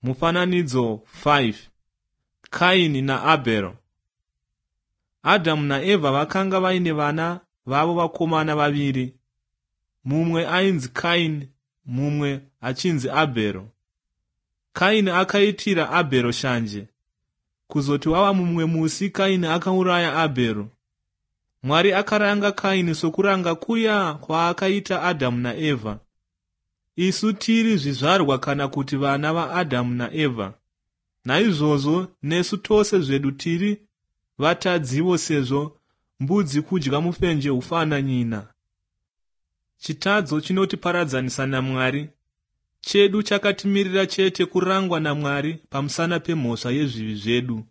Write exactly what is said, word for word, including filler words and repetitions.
Mufananidzo five. Kaini naAbhero. Adhamu naEvha vakanga vaine vana vavo vakomana vaviri. Mumwe ainzi Kaini, mumwe achinzi Abhero. Kaini akaitira Abhero shanje. Kuzoti wava mumwe musi, Kaini akauraya Abhero. Mwari akaranga Kaini sokuranga kuya kwaakaita Adhamu naEvha. Isu tiri zvizvarwa kana kuti vana vaAdhamu naEvha. Naizvozvo nesu tose zvedu tiri vatadziwo, sezvo mbudzi kudya mufenje hufana nyina. Chitadzo chinotiparadzanisa naMwari. Chedu chakatimirira chete kurangwa naMwari pamusana pemhosva yezvivi zvedu.